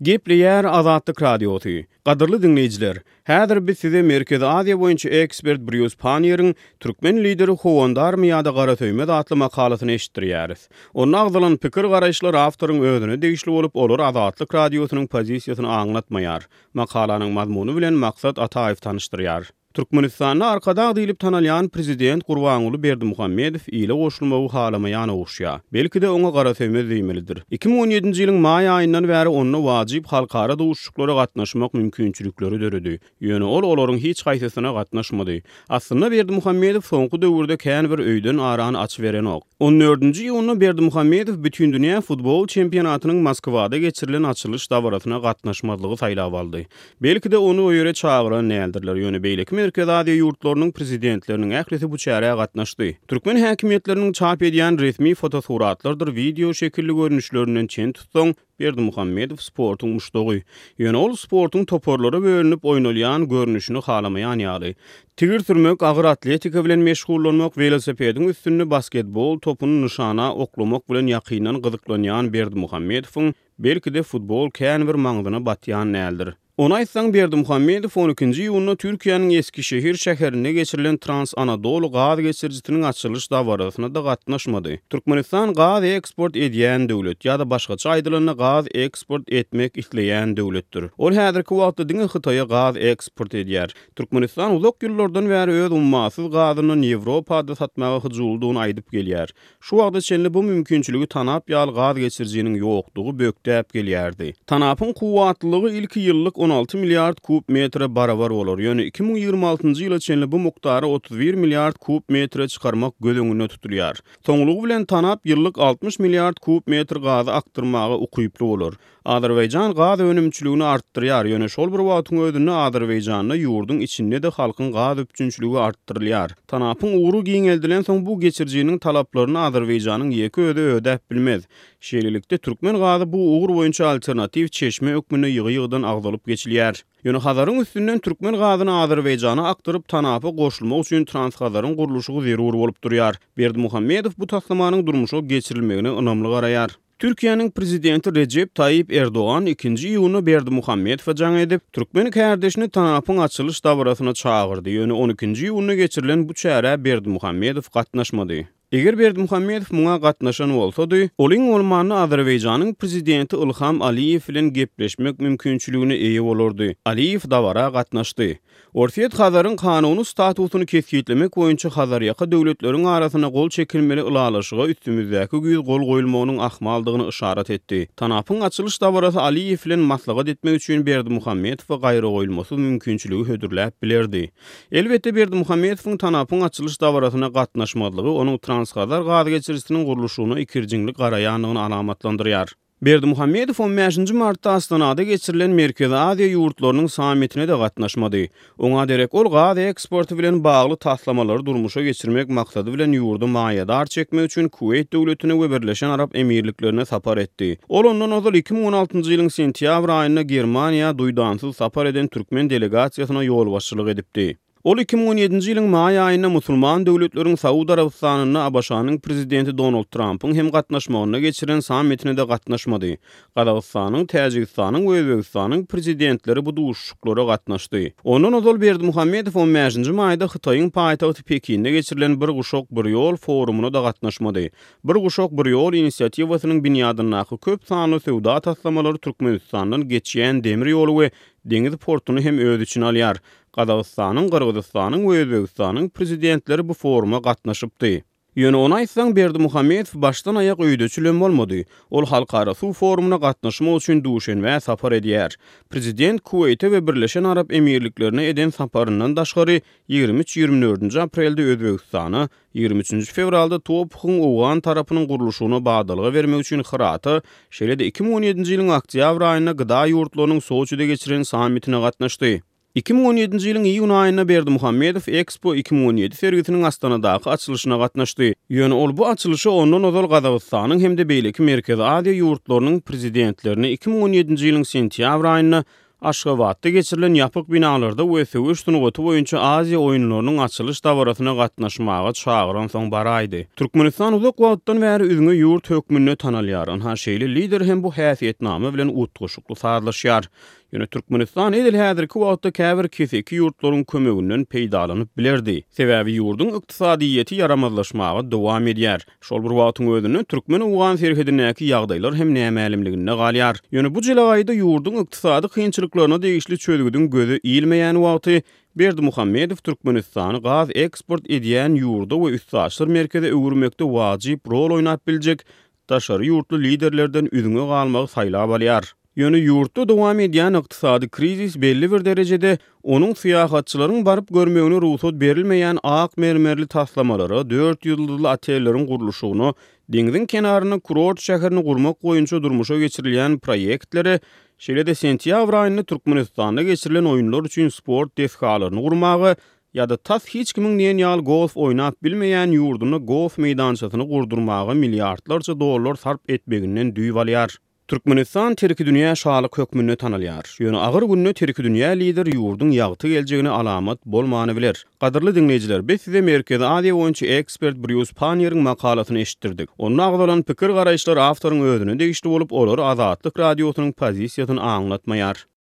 Gepleýär Azatlyk Radiosy. Gadyrly diňleýjiler, häzir biz size Merkezi Aziýa boýunça ekspert Brýus Panniýeriň Türkmen lideri howandarmy ýa-da garasöýmez atly makalasyny eşitdirýäris. Onda agzalan pikir-garaýyşlar awtoryň özüne degişli bolup, olar Azatlyk Radiosynyň pozisiýasyny aňlatmaýar. Makalanyň mazmuny bilen Maksat Ataýew tanyşdyrýar. Türkmenistanda Arkadag diýlip tanalýan prezident Gurbanguly Berdimuhamedow ile goşulmagy halamaýan oguşýa. Belki-de oňa garasöýmez diýmelidir. 2017-nji ýylyň maý aýyndan bäri onda wajyp halkara duşuşyklara gatnaşmak mümkinçilikleri döredi. Ýöne ol olaryň hiç haýsysyna gatnaşmady. Aslynda Berdimuhamedow soňky döwürde kän bir öýden arany açyberenok. On dördünji iýunda Berdimuhamedow Bütindünýä futbol çempionatynyň Moskwada geçirilen açylyş dabarasyna gatnaşmazlygy saýlap aldy. Belki-de, ony o ýere çagyran däldirler, ýöne beýleki Merkezi Aziýa ýurtlarynyň prezidentleriniň ählisi bu çärä gatnaşdy. Türkmen häkimiýetleriniň çap edýän resmi fotosuratlardyr wideo şekilli görnüşlerinden çen tutsaň, Berdimuhamedow sportuň muşdagy. Ýöne ol sportuň toparlara bölünip oýnalýan görnüşini halamaýan ýaly. Tigir sürmek, agyr atletika bilen meşgullanmak, welosipediň üstünde basketbol topuny nyşana oklamak bilen ýakyndan gyzyklanýan Berdimuhamedowyň Belki-de, futbol kän bir maňzyna batýan däldir. Ony aýtsaň, Berdimuhamedow on ikinji iýunda Türkiýäniň Eskişehir şäherinde geçirilen Trans-Anadoly gaz geçirijisiniň açylyş dabarasyna-da gatnaşmady. Türkmenistan gaz eksport edýän döwlet, ýa-da başgaça aýdylanda gaz eksport etmek isleýän döwletdir. Ol häzirki wagtda diňe Hytaýa gaz eksport edýär. Türkmenistan uzak ýyllardan bäri öz ummasyz gazyndan Ýewropada satmaga hyjuwlydygyny aýdyp gelýär. Şu wagta çenli bu mümkinçiligi tanap ýaly gaz geçirijiniň ýokdugy bökdäp gelýärdi. Tanapyň kuwwatlylygy ilki ýyllyk 16 milliard kub metre barabar bolar, ýöne 2026-njy ýyla çenli bu mukdary 31 milliard kub metre çykarmak göz öňünde tutulýar. Soňlugy bilen tanap ýyllyk 60 milliard kub metr gazy akdyrmaga ukyply bolar. Azerbaýjan gaz önümçiligini artdyrýar, ýöne şol bir wagtyň özünde Azerbaýjanda ýurduň içinde-de halkyň gaz üpjünçiligi artdyrylýar. Tanapyň ugry giňeldilensoň bu geçirijiniň talaplaryny Azerbaýjanyň ýeke özi ödäp bilmez. Şeýlelikde, türkmen gazy bu ugur boýunça alternatiw çeşme hökmünde ýygy-ýygydan agzalyp geçilýär. Ýöne Hazaryň üstünden türkmen gazyny Azerbaýjana akdyryp, tanapa goşulmak üçin Transhazaryň gurluşygy zerur bolup durýar. Berdimuhamedow bu taslamanyň durmuşa geçirilmegine ynamly garaýar. Türkiýäniň Prezidenti Rejep Taýyp Erdogan ikinji iýunda Berdimuhamedowa jaň edip, türkmen kärdeşini TANAP-yň açylyş dabarasyna çagyrdy, ýöne on ikinji iýunda geçirilen bu çärä Berdimuhamedow gatnaşmady. Eger Berdimuhamedow muňa gatnaşan bolsady, ol iň bolmanda Azerbaýjanyň Prezidenti Ilham Aliýew bilen gepleşmek mümkinçiligine eýe bolardy. Aliýew dabara gatnaşdy. Orsýet Hazaryň kanuny statusyny kesgitlemek boýunça Hazarýaka döwletleriň arasynda gol çekilmeli ylalaşyga üstümizdäki güýz gol goýulmagynyň ahmaldygyny yşarat etdi. Tanapyň açylyş dabarasy Aliýew bilen maslahat etmek üçin Berdimuhamedowa gaýragoýulmasyz mümkinçiligi hödürläp bilerdi. Elbetde, Berdimuhamedowyň Tanapyň açylyş dabarasyna gatnaşmazlygy onuň Transhazar gazgeçirijisiniň gurluşygyna ikirjiňli garaýandygyny alamatlandyrýar. Berdimuhamedow on bäşinji martda Astanada geçirilen Merkezi Aziýa ýurtlarynyň sammitine-de gatnaşmady. Oňa derek ol gaz eksporty bilen bagly taslamalary durmuşa geçirmek maksady bilen ýurda maýadar çekmek üçin Kuweýt döwletine we Birleşen Arap Emirliklerine sapar etdi. Ol ondan ozal 2016-njy ýylyň sentýabr aýynda Germaniýa duýdansyz sapar eden türkmen delegasiýasyna ýolbaşçylyk edipdi. Ol 2017-nji ýylyň maý aýynda musulman döwletleriň Saud Arabystanynda ABŞ-nyň prezidenti Donald Trampyň hem gatnaşmagynda geçiren sammitine-de gatnaşmady. Gazagystanyň, Täjigistanyň we Özbegistanyň prezidentleri bu duşuşyklara gatnaşdy. Ondan ozal Berdimuhamedow on bäşinji maýda Hytaýyň paýtagty Pekinde geçirilen Bir guşak, bir ýol forumyna-da gatnaşmady. Bir guşak, bir ýol inisiatiwasynyň binýadyndaky köp sanly söwda taslamalary Türkmenistandan geçýän demir ýoly we deňiz portuny hem öz içine alýar. Gazagystanyň, Gyrgyzystanyň we Özbegistanyň prezidentleri bu foruma gatnaşypdy. Ýöne ony aýtsaň, Berdimuhamedow başdan-aýak öýdeçilem bolmady. Ol halkara suw forumyna gatnaşmak üçin Duşenbä sapar edýär. Prezident Kuweýte we Birleşen Arap Emirliklerine eden saparyndan daşgary, ýigrimi üç, ýigrimi dördünji aprelde Özbegistana, ýigrimi üçünji fewralda TOPH-yň owgan tarapynyň gurluşygyna badalga bermek üçin Hyrata, şeýle-de 2017-nji ýylyň oktýabr aýynda GDA ýurtlarynyň Soçide geçiren sammitine gatnaşdy. 2017-nji ýylyň iýun aýynda Berdimuhamedow Expo 2017 sergisiniň Astanadaky açylyşyna gatnaşdy. Ýöne ol bu açylyşa ondan ozal Gazagystanyň hem-de beýleki Merkezi Aziýa ýurtlarynyň prezidentlerini 2017-nji ýylyň sentýabr aýynda. Aşgabatda geçirilen ýapyk binalarda we söweş sungaty boýunça Aziýa oýunlarynyň açylyş dabarasyna gatnaşmaga çagyransoň baraýdy. Türkmenistan uzak wagtdan bäri üzňe ýurt hökmünde tanalýar. Ynha, şeýle lider hem bu häsiýetnama bilen utgaşykly sazlaşýar. Ýöne Türkmenistan edil häzirki wagtda käbir keseki ýurtlaryň kömeginden peýdalanyp bilerdi. Sebäbi ýurduň ykdysadyýeti ýaramazlaşmaga dowam edýär. Şol bir wagtyň özünde türkmen-owgan serhedindäki ýagdaýlar hem nämälimliginde galýar. Ýöne bu jelegaýda ýurduň ykdysady kynçylyklaryna degişli çözgüdiň göze ilmeýän wagty Berdimuhamedow Türkmenistany gaz eksport edýän ýurda we üstaşyr merkeze öwürmekde wajyp rol oýnap biljek daşary ýurtly liderlerden üzňe galmagy saýlap alýar. Ýöne ýurtda dowam edýän ykdysady krizis belli bir derejede onuň syýahatçylaryň baryp görmegine rugsat berilmeýän ak mermerli taslamalara, dört ýyldyzly otelleriň gurluşygyna, deňziň kenarynda kurort şäherini gurmak boýunça durmuşa geçirilýän proýektlere, şeýle-de sentýabr aýynda Türkmenistanda geçirilen oýunlar üçin sport desgalaryny gurmaga ýa-da tas hiç kimiň diýen ýaly golf oýnap bilmeýän ýurdunda golf meýdançasyny gurdurmaga milliardlarça dollar sarp etmeginden düýp alýar. Türkmenistan terkidünýä şalyk hökmünde tanalýar. Ýöne agyr günde terkidünýä lider ýurduň ýagty geljegine alamat bolmany biler. Gadyrly diňleýjiler, biz size Merkezi Aziýa boýunça ekspert Brýus Panniýeriň makalasyny eşitdirdik. Onda agzalan pikir-garaýyşlar awtoryň özüne degişli bolup, olar Azatlyk Radiosynyň pozisiýasyny aňlatmaýar.